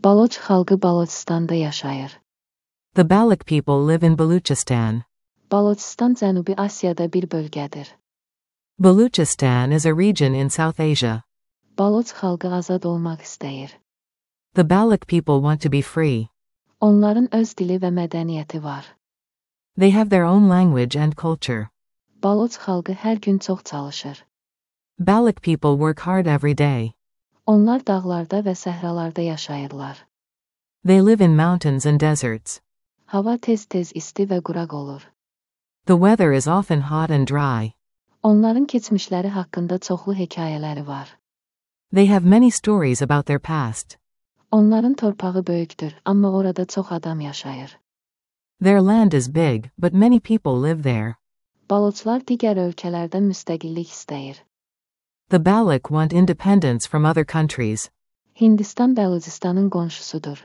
Baloch xalqı Balochistan'da yaşayır. The Baloch people live in Baluchistan. Balochistan Cənubi Asiyada bir bölgədir. Baluchistan is a region in South Asia. Baloch xalqı azad olmaq istəyir. The Baloch people want to be free. Onların öz dili və mədəniyyəti var. They have their own language and culture. Baloch xalqı hər gün çox çalışır. Baloch people work hard every day. Onlar dağlarda və səhralarda yaşayırlar. They live in mountains and deserts. Hava tez-tez isti və quraq olur. The weather is often hot and dry. Onların keçmişləri haqqında çoxlu hekayələri var. They have many stories about their past. Onların torpağı böyükdür, amma orada çox adam yaşayır. Their land is big, but many people live there. Balochlar digər ölkələrdən müstəqillik istəyir. The Baloch want independence from other countries. Hindistan Bəlucistanın qonşusudur.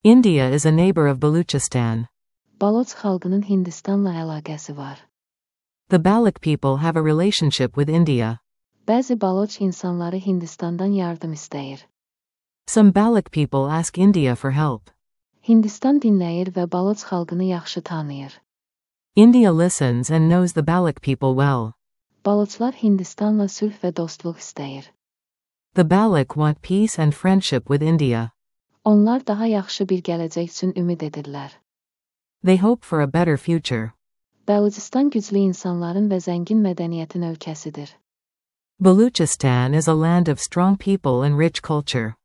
India is a neighbor of Baluchistan. Baloch xalqının Hindistanla əlaqəsi var. The Baloch people have a relationship with India. Bəzi Baloch insanları Hindistandan yardım istəyir. Some Baloch people ask India for help. Hindistan dinləyir və Baloch xalqını yaxşı tanıyır. India listens and knows the Baloch people well. Balochlar Hindistanla sülh və dostluq istəyir. The Baloch want peace and friendship with India. Onlar daha yaxşı bir gələcək üçün ümid edirlər. They hope for a better future. Bəlucistan güclü insanların və zəngin mədəniyyətin ölkəsidir. Baluchistan is a land of strong people and rich culture.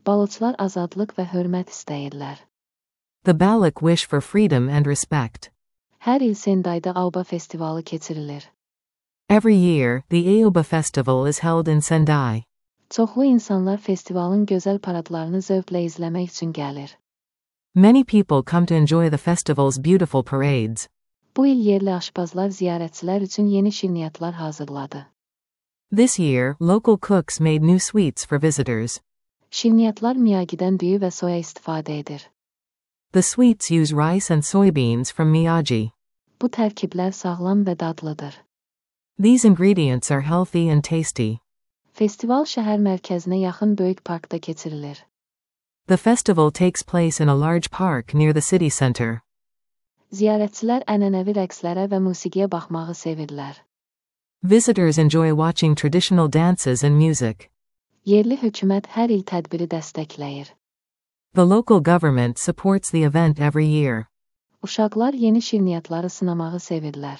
Balochlar azadlıq və hörmət istəyirlər. The Baloch wish for freedom and respect. Hər il Sendaidə Auba festivalı keçirilir. Every year, the Aoba festival is held in Sendai. Çoxlu insanlar festivalın gözəl paradlarını zövqlə izləmək üçün gəlir. Many people come to enjoy the festival's beautiful parades. Bu il yerli aşpazlar ziyarətçilər üçün yeni şirniyyatlar hazırladı. This year, local cooks made new sweets for visitors. Şirniyyatlar Miyagi'dən düyü və soya istifadə edir. The sweets use rice and soybeans from Miyagi. Bu tərkiblər sağlam və dadlıdır. These ingredients are healthy and tasty. Festival şəhər mərkəzinə yaxın böyük parkda keçirilir. The festival takes place in a large park near the city center. Ziyarətçilər ənənəvi rəqslərə və musiqiyə baxmağı sevirlər. Visitors enjoy watching traditional dances and music. Yerli hökumət hər il tədbiri dəstəkləyir. The local government supports the event every year. Uşaqlar yeni şirniyyatları sınamağı sevirlər.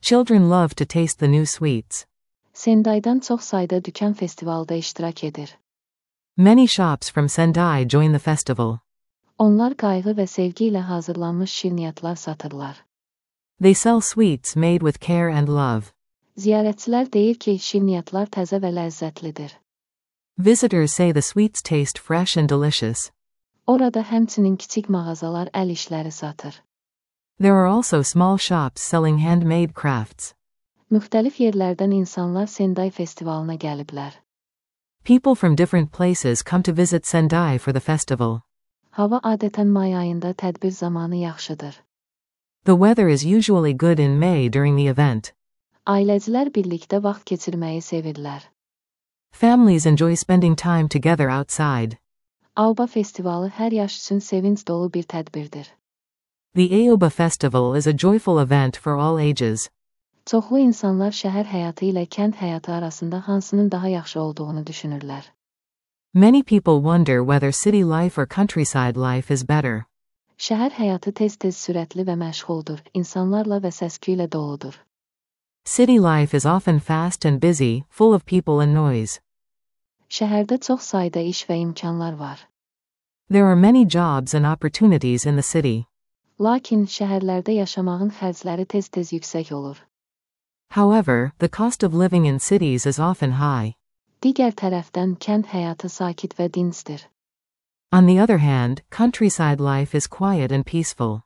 Children love to taste the new sweets. Sendaidan çox sayda dükan festivalda iştirak edir. Many shops from Sendai join the festival. Onlar qayğı və sevgi ilə hazırlanmış şirniyyatlar satırlar. They sell sweets made with care and love. Ziyarətçilər deyir ki, şirniyyatlar təzə və ləzzətlidir. Visitors say the sweets taste fresh and delicious. Orada həmçinin kiçik mağazalar əl işləri satır. There are also small shops selling handmade crafts. Müxtəlif yerlərdən insanlar Sendai festivalına gəliblər. People from different places come to visit Sendai for the festival. Hava adətən may ayında tədbir zamanı yaxşıdır. The weather is usually good in May during the event. Ailəcilər birlikdə vaxt keçirməyi sevirlər. Families enjoy spending time together outside. Auba festivalı hər yaş üçün sevinç dolu bir tədbirdir. The Aoba festival is a joyful event for all ages. Çoxlu insanlar şəhər həyatı ilə kənd həyatı arasında hansının daha yaxşı olduğunu düşünürlər. Many people wonder whether city life or countryside life is better. Şəhər həyatı tez-tez sürətli və məşğuldur, insanlarla və səs-küy ilə doludur. City life is often fast and busy, full of people and noise. Şəhərdə çox sayda iş və imkanlar var. There are many jobs and opportunities in the city. Lakin şəhərlərdə yaşamağın xərcləri tez-tez yüksək olur. However, the cost of living in cities is often high. Digər tərəfdən kənd həyatı sakit və dincdir. On the other hand, countryside life is quiet and peaceful.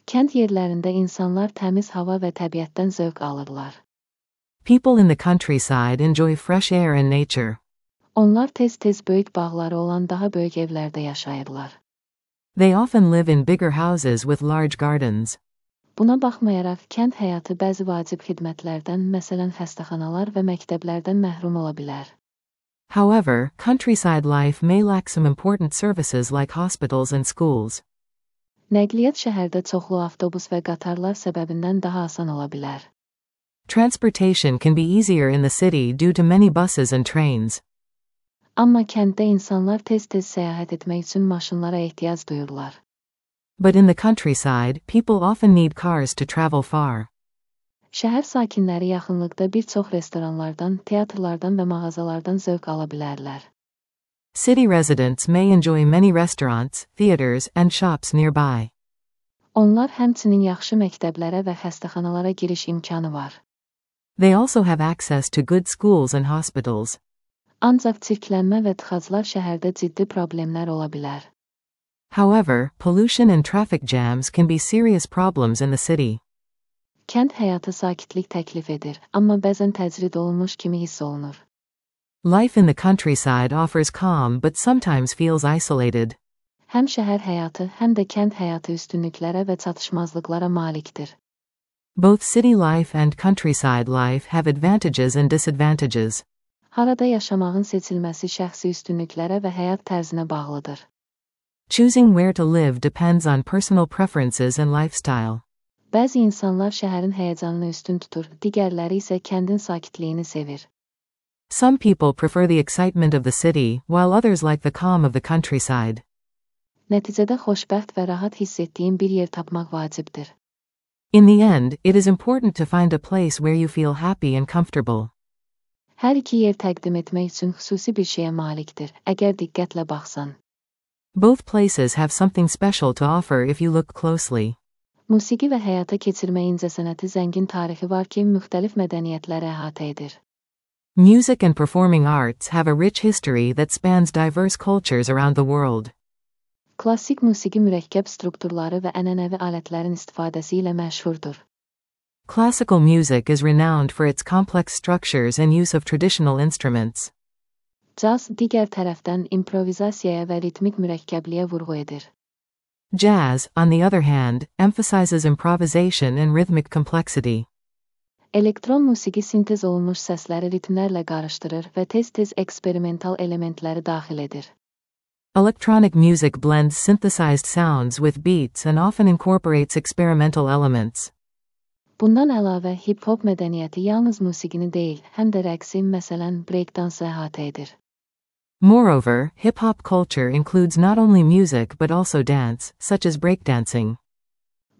Kənd yerlərində insanlar təmiz hava və təbiətdən zövq alırlar. People in the countryside enjoy fresh air and nature. Onlar tez-tez böyük bağları olan daha böyük evlərdə yaşayırlar. They often live in bigger houses with large gardens. Buna baxmayaraq, kənd həyatı bəzi vacib xidmətlərdən, məsələn xəstəxanalar və məktəblərdən məhrum ola bilər. However, countryside life may lack some important services like hospitals and schools. Nəqliyyat şəhərdə çoxlu avtobus və qatarlar səbəbindən daha asan ola bilər. Transportation can be easier in the city due to many buses and trains. Amma kənddə insanlar tez-tez səyahət etmək üçün maşınlara ehtiyac duyurlar. But in the countryside, people often need cars to travel far. Şəhər sakinləri yaxınlıqda bir çox restoranlardan, teatrlardan və mağazalardan zövq ala bilərlər. City residents may enjoy many restaurants, theaters, and shops nearby. Onlar həmçinin yaxşı məktəblərə və xəstəxanalara giriş imkanı var. They also have access to good schools and hospitals. Ancaq çirklənmə və tıxaclar şəhərdə ciddi problemlər ola bilər. However, pollution and traffic jams can be serious problems in the city. Kənd həyatı sakitlik təklif edir, amma bəzən təcrid olunmuş kimi hiss olunur. Life in the countryside offers calm but sometimes feels isolated. Həm şəhər həyatı, həm də kənd həyatı üstünlüklərə və çatışmazlıqlara malikdir. Both city life and countryside life have advantages and disadvantages. Harada yaşamağın seçilməsi şəxsi üstünlüklərə və həyat tərzinə bağlıdır. Choosing where to live depends on personal preferences and lifestyle. Bəzi insanlar şəhərin həyəcanını üstün tutur, digərləri isə kəndin sakitliyini sevir. Some people prefer the excitement of the city, while others like the calm of the countryside. Nəticədə xoşbəxt və rahat hiss etdiyin bir yer tapmaq vacibdir. In the end, it is important to find a place where you feel happy and comfortable. Hər iki yer təqdim etmək üçün xüsusi bir şeyə malikdir, əgər diqqətlə baxsan. Both places have something special to offer if you look closely. Musiqi və həyata keçirmə incəsənəti zəngin tarixi var ki, müxtəlif mədəniyyətləri əhatə edir. Music and performing arts have a rich history that spans diverse cultures around the world. Klassik musiqi mürəkkəb strukturları və ənənəvi alətlərin istifadəsi ilə məşhurdur. Classical music is renowned for its complex structures and use of traditional instruments. Caz digər tərəfdən improvizasiyaya və ritmik mürəkkəbliyə vurğu edir. Jazz, on the other hand, emphasizes improvisation and rhythmic complexity. Elektron musiqi sintez olunmuş səsləri ritmlərlə qarışdırır və tez-tez eksperimental elementləri daxil edir. Electronic music blends synthesized sounds with beats and often incorporates experimental elements. Bundan əlavə, hip-hop mədəniyyəti yalnız musiqini deyil, həm də rəqsi, məsələn, breakdansı əhatə edir. Moreover, hip-hop culture includes not only music but also dance, such as breakdancing.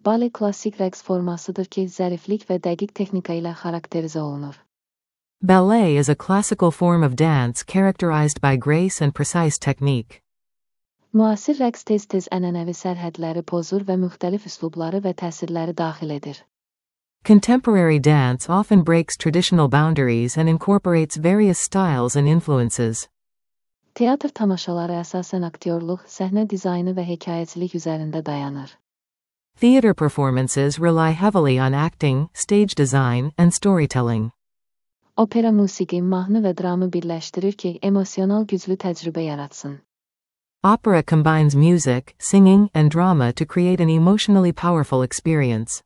Bale klassik rəqs formasıdır ki, zəriflik və dəqiq texnika ilə xarakterizə olunur. Ballet is a classical form of dance characterized by grace and precise technique. Müasir rəqs tez-tez ənənəvi sərhədləri pozur və müxtəlif üslubları və təsirləri daxil edir. Contemporary dance often breaks traditional boundaries and incorporates various styles and influences. Teatr tamaşaları əsasən aktyorluq, səhnə dizaynı və hekayəçilik üzərində dayanır. Theater performances rely heavily on acting, stage design, and storytelling. Opera musiqi, mahnı və dramı birləşdirir ki, emosional güclü təcrübə yaratsın. Opera combines music, singing, and drama to create an emotionally powerful experience.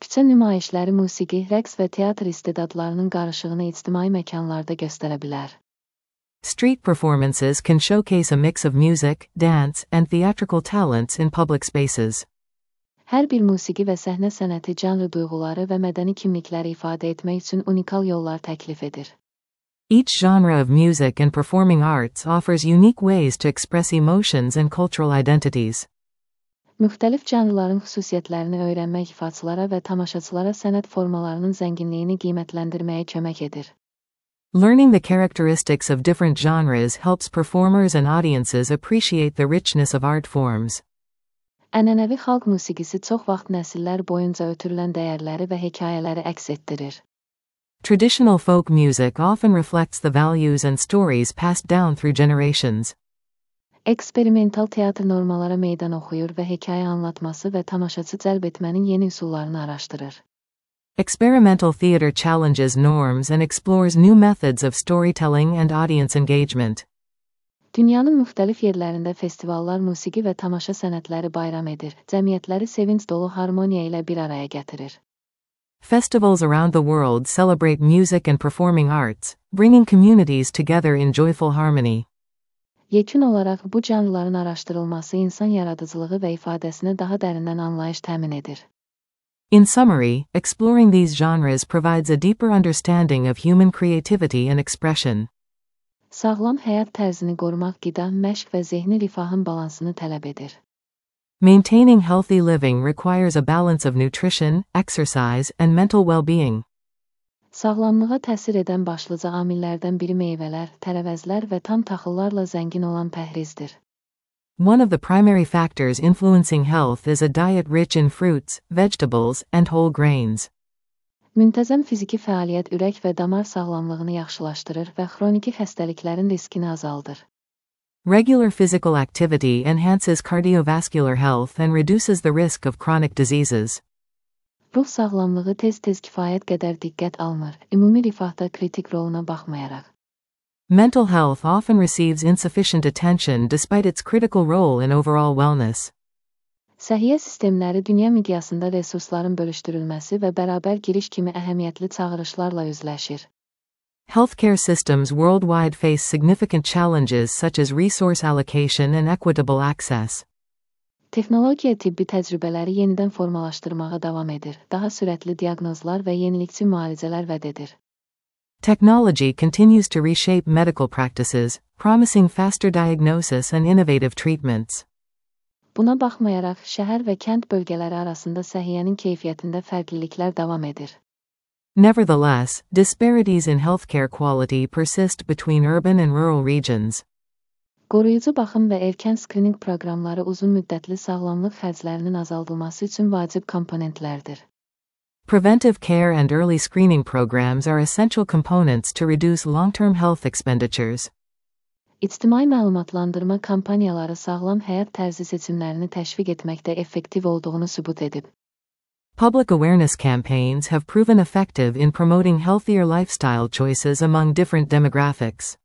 Küçə nümayişləri musiqi, rəqs və teatr istedadlarının qarışığını ictimai məkanlarda göstərə bilər. Street performances can showcase a mix of music, dance, and theatrical talents in public spaces. Hər bir musiqi və səhnə sənəti canlı duyğuları və mədəni kimlikləri ifadə etmək üçün unikal yollar təklif edir. Each genre of music and performing arts offers unique ways to express emotions and cultural identities. Müxtəlif canlıların xüsusiyyətlərini öyrənmək ifaçılara və tamaşaçılara sənət formalarının zənginliyini qiymətləndirməyə kömək edir. Learning the characteristics of different genres helps performers and audiences appreciate the richness of art forms. Ənənəvi xalq musiqisi çox vaxt nəsillər boyunca ötürülən dəyərləri və hekayələri əks etdirir. Traditional folk music often reflects the values and stories passed down through generations. Eksperimental teatr normalara meydan oxuyur və hekayə anlatması və tamaşaçı cəlb etmənin yeni üsullarını araşdırır. Experimental theater challenges norms and explores new methods of storytelling and audience engagement. Dünyanın müxtəlif yerlərində festivallar musiqi və tamaşa sənətləri bayram edir, cəmiyyətləri sevinç dolu harmoniya ilə bir araya gətirir. Festivals around the world celebrate music and performing arts, bringing communities together in joyful harmony. Yekun olaraq bu canlıların araşdırılması insan yaradıcılığı və ifadəsinə daha dərindən anlayış təmin edir. In summary, exploring these genres provides a deeper understanding of human creativity and expression. Sağlam həyat tərzini qorumaq qida, məşq və zehni rifahın balansını tələb edir. Maintaining healthy living requires a balance of nutrition, exercise, and mental well-being. Sağlamlığa təsir edən başlıca amillərdən biri meyvələr, tərəvəzlər və tam taxıllarla zəngin olan pəhrizdir. One of the primary factors influencing health is a diet rich in fruits, vegetables, and whole grains. Müntəzəm fiziki fəaliyyət ürək və damar sağlamlığını yaxşılaşdırır və xroniki xəstəliklərin riskini azaldır. Regular physical activity enhances cardiovascular health and reduces the risk of chronic diseases. Ruh sağlamlığı tez-tez kifayət qədər diqqət almır, ümumi rifahda kritik roluna baxmayaraq. Mental health often receives insufficient attention despite its critical role in overall wellness. Səhiyyə sistemləri dünya miqyasında resursların bölüşdürülməsi və bərabər giriş kimi əhəmiyyətli çağırışlarla üzləşir. Healthcare systems worldwide face significant challenges such as resource allocation and equitable access. Texnologiya tibbi təcrübələri yenidən formalaşdırmağa davam edir, daha sürətli diaqnozlar və yenilikçi müalicələr vəd edir. Technology continues to reshape medical practices, promising faster diagnosis and innovative treatments. Buna baxmayaraq, şəhər və kənd bölgələri arasında səhiyyənin keyfiyyətində fərqliliklər davam edir. Nevertheless, disparities in healthcare quality persist between urban and rural regions. Qoruyucu baxım və erkən skrining proqramları uzun müddətli sağlamlıq xərclərinin azaldılması üçün vacib komponentlərdir. Preventive care and early screening programs are essential components to reduce long-term health expenditures. İctimai məlumatlandırma kampaniyaları sağlam həyat tərzi seçimlərini təşviq etməkdə effektiv olduğunu sübut edib. Public awareness campaigns have proven effective in promoting healthier lifestyle choices among different demographics.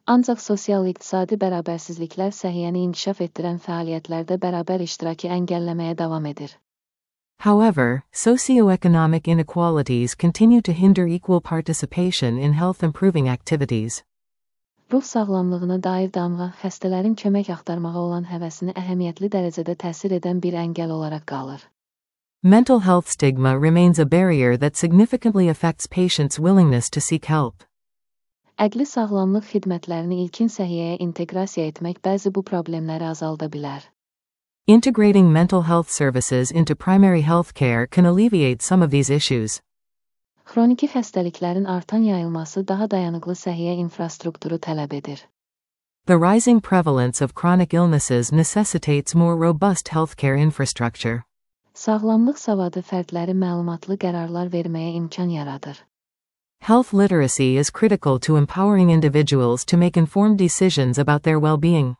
Ancaq sosial-iqtisadi bərabərsizliklər səhiyyəni inkişaf etdirən fəaliyyətlərdə bərabər iştirakı əngəlləməyə davam edir. However, socioeconomic inequalities continue to hinder equal participation in health-improving activities. Ruh sağlamlığına dair damğa, xəstələrin kömək axtarmağa olan həvəsini əhəmiyyətli dərəcədə təsir edən bir əngəl olaraq qalır. Mental health stigma remains a barrier that significantly affects patients' willingness to seek help. Əqli sağlamlıq xidmətlərini ilkin səhiyyəyə inteqrasiya etmək bəzi bu problemləri azalda bilər. Integrating mental health services into primary health care can alleviate some of these issues. Xroniki xəstəliklərin artan yayılması daha dayanıqlı səhiyyə infrastrukturu tələb edir. The rising prevalence of chronic illnesses necessitates more robust healthcare infrastructure. Sağlamlıq savadı fərdləri məlumatlı qərarlar verməyə imkan yaradır. Health literacy is critical to empowering individuals to make informed decisions about their well-being.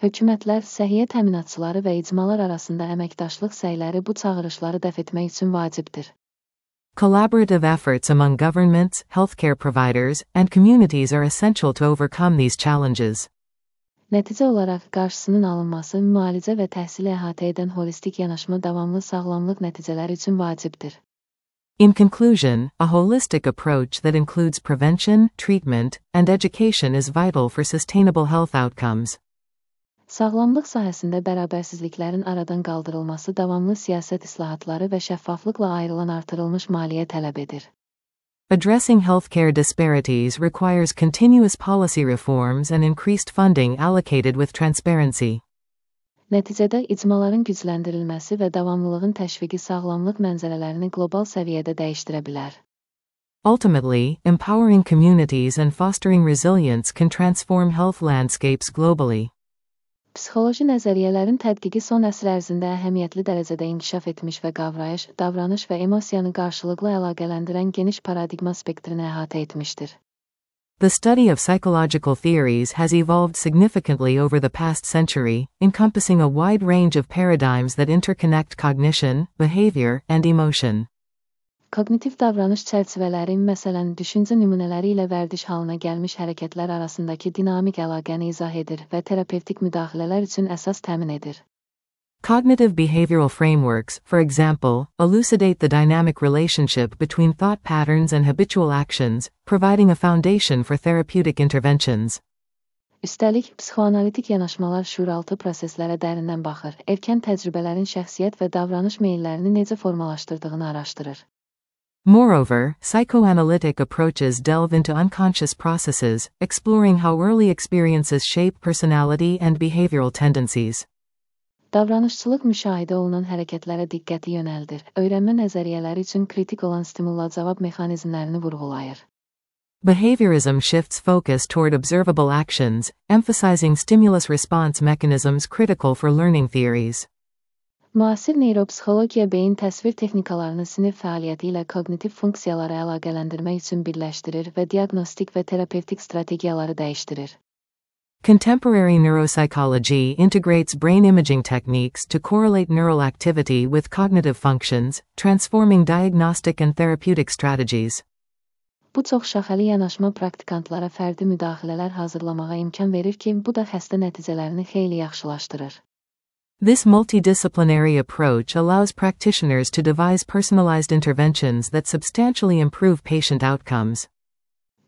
Hökumətlər, səhiyyə təminatçıları və icmalar arasında əməkdaşlıq səyləri bu çağırışları dəf etmək üçün vacibdir. Collaborative efforts among governments, healthcare providers, and communities are essential to overcome these challenges. Nəticə olaraq qarşısının alınması, müalicə və təhsili əhatə edən holistik yanaşma davamlı sağlamlıq nəticələri üçün vacibdir. In conclusion, a holistic approach that includes prevention, treatment, and education is vital for sustainable health outcomes. Sağlamlıq sahəsində bərabərsizliklərin aradan qaldırılması davamlı siyasət islahatları və şəffaflıqla ayrılan artırılmış maliyyə tələb edir. Addressing healthcare disparities requires continuous policy reforms and increased funding allocated with transparency. Nəticədə icmaların gücləndirilməsi və davamlılığın təşviqi sağlamlıq mənzərələrini qlobal səviyyədə dəyişdirə bilər. Ultimately, empowering communities and fostering resilience can transform health landscapes globally. Psixoloji nəzəriyyələrin tədqiqi son əsr ərzində əhəmiyyətli dərəcədə inkişaf etmiş və qavrayış, davranış və emosiyanı qarşılıqlı əlaqələndirən geniş paradigma spektrini əhatə etmişdir. The study of psychological theories has evolved significantly over the past century, encompassing a wide range of paradigms that interconnect cognition, behavior, and emotion. Kognitiv davranış çərçivələri, məsələn, düşüncə nümunələri ilə vərdiş halına gəlmiş hərəkətlər arasındakı dinamik əlaqəni izah edir və terapevtik müdaxilələr üçün əsas təmin edir. Cognitive behavioral frameworks, for example, elucidate the dynamic relationship between thought patterns and habitual actions, providing a foundation for therapeutic interventions. Üstəlik, psixoanalitik yanaşmalar şuuraltı proseslərə dərindən baxır, erkən təcrübələrin şəxsiyyət və davranış meyillərini necə formalaşdırdığını araşdırır. Moreover, psychoanalytic approaches delve into unconscious processes, exploring how early experiences shape personality and behavioral tendencies. Davranışçılıq müşahidə olunan hərəkətlərə diqqəti yönəldir, öyrənmə nəzəriyyələri üçün kritik olan stimulla-cavab mexanizmlərini vurğulayır. Behaviorism shifts focus toward observable actions, emphasizing stimulus-response mechanisms critical for learning theories. Müasir neyropsixologiya beyin təsvir texnikalarını sinir fəaliyyəti ilə kognitiv funksiyaları əlaqələndirmək üçün birləşdirir və diaqnostik və terapevtik strategiyaları dəyişdirir. Contemporary neuropsychology integrates brain imaging techniques to correlate neural activity with cognitive functions, transforming diagnostic and therapeutic strategies. Bu çoxşaxəli yanaşma praktikantlara fərdi müdaxilələr hazırlamağa imkan verir ki, bu da xəstə nəticələrini xeyli yaxşılaşdırır. This multidisciplinary approach allows practitioners to devise personalized interventions that substantially improve patient outcomes.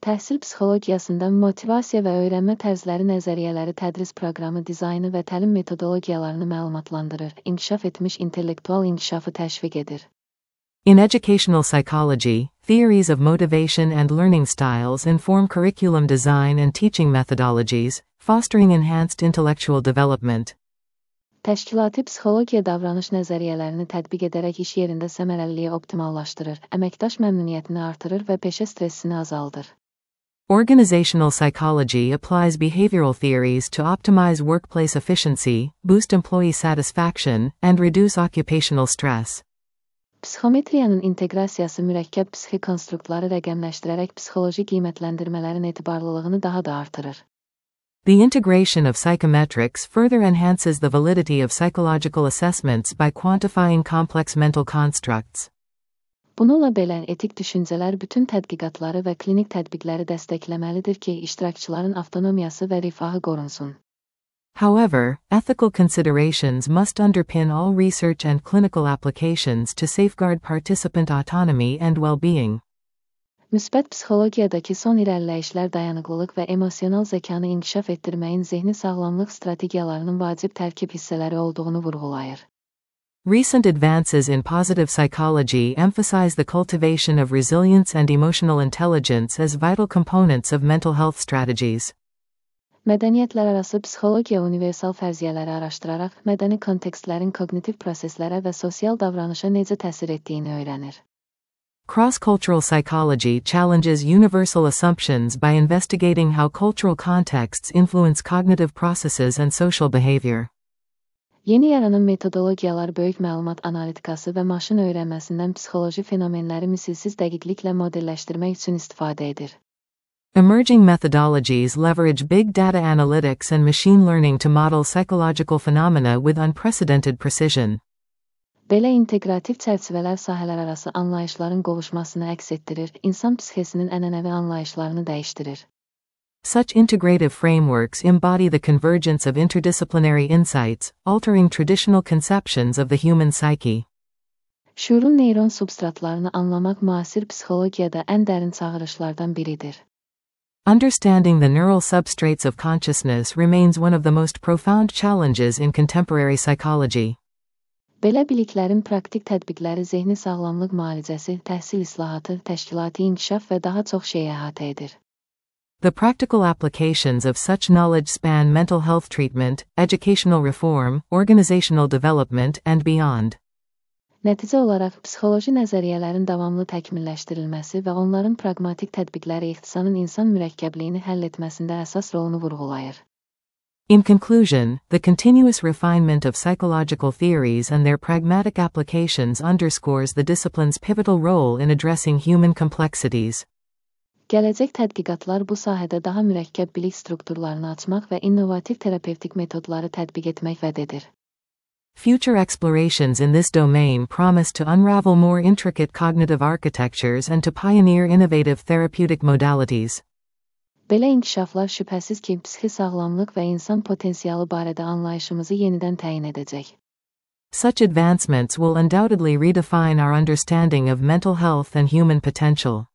Təhsil psixologiyasında motivasiya və öyrənmə tərzləri nəzəriyyələri tədris proqramı dizaynı və təlim metodologiyalarını məlumatlandırır, inkişaf etmiş intellektual inkişafı təşviq edir. In educational psychology, theories of motivation and learning styles inform curriculum design and teaching methodologies, fostering enhanced intellectual development. Təşkilati psixologiya davranış nəzəriyyələrini tətbiq edərək iş yerində səmərəliliyi optimallaşdırır, əməkdaş məmnuniyyətini artırır və peşə stressini azaldır. Organizational psychology applies behavioral theories to optimize workplace efficiency, boost employee satisfaction, and reduce occupational stress. Psixometriyanın inteqrasiyası mürəkkəb psixi konstruktları rəqəmləşdirərək psixoloji qiymətləndirmələrin etibarlılığını daha da artırır. The integration of psychometrics further enhances the validity of psychological assessments by quantifying complex mental constructs. Bununla belə, etik düşüncələr bütün tədqiqatları və klinik tətbiqləri dəstəkləməlidir ki, iştirakçıların avtonomiyası və rifahı qorunsun. However, ethical considerations must underpin all research and clinical applications to safeguard participant autonomy and well-being. Müsbət psixologiyadakı son irəliləyişlər dayanıqlılıq və emosional zəkanı inkişaf etdirməyin zehni sağlamlıq strategiyalarının vacib tərkib hissələri olduğunu vurğulayır. Recent advances in positive psychology emphasize the cultivation of resilience and emotional intelligence as vital components of mental health strategies. Mədəniyyətlərarası psixologiya universal fərziyyələri araşdıraraq mədəni kontekstlərin kognitiv proseslərə və sosial davranışa necə təsir etdiyini öyrənir. Cross-cultural psychology challenges universal assumptions by investigating how cultural contexts influence cognitive processes and social behavior. Yeni yaranan metodologiyalar böyük məlumat analitikası və maşın öyrənməsindən psixoloji fenomenləri misilsiz dəqiqliklə modelləşdirmək üçün istifadə edir. Emerging methodologies leverage big data analytics and machine learning to model psychological phenomena with unprecedented precision. Belə inteqrativ çərçivələr sahələrarası anlayışların qovuşmasını əks etdirir, insan psixesinin ənənəvi anlayışlarını dəyişdirir. Such integrative frameworks embody the convergence of interdisciplinary insights, altering traditional conceptions of the human psyche. Şuurun neyron substratlarını anlamaq müasir psixologiyada ən dərin çağırışlardan biridir. Understanding the neural substrates of consciousness remains one of the most profound challenges in contemporary psychology. Belə biliklərin praktik tətbiqləri zehni sağlamlıq müalicəsi, təhsil islahatı, təşkilati inkişaf və daha çox şeyi əhatə edir. The practical applications of such knowledge span mental health treatment, educational reform, organizational development, and beyond. Nəticə olaraq, psixoloji nəzəriyyələrin davamlı təkmilləşdirilməsi və onların praqmatik tətbiqləri ixtisanın insan mürəkkəbliyini həll etməsində əsas rolunu vurğulayır. In conclusion, the continuous refinement of psychological theories and their pragmatic applications underscores the discipline's pivotal role in addressing human complexities. Gələcək tədqiqatlar bu sahədə daha mürəkkəb bilik strukturlarını açmaq və innovativ terapevtik metodları tətbiq etmək vəd edir. Future explorations in this domain promise to unravel more intricate cognitive architectures and to pioneer innovative therapeutic modalities. Belə inkişaflar şübhəsiz ki, psixi sağlamlıq və insan potensialı barədə anlayışımızı yenidən təyin edəcək. Such advancements will undoubtedly redefine our understanding of mental health and human potential.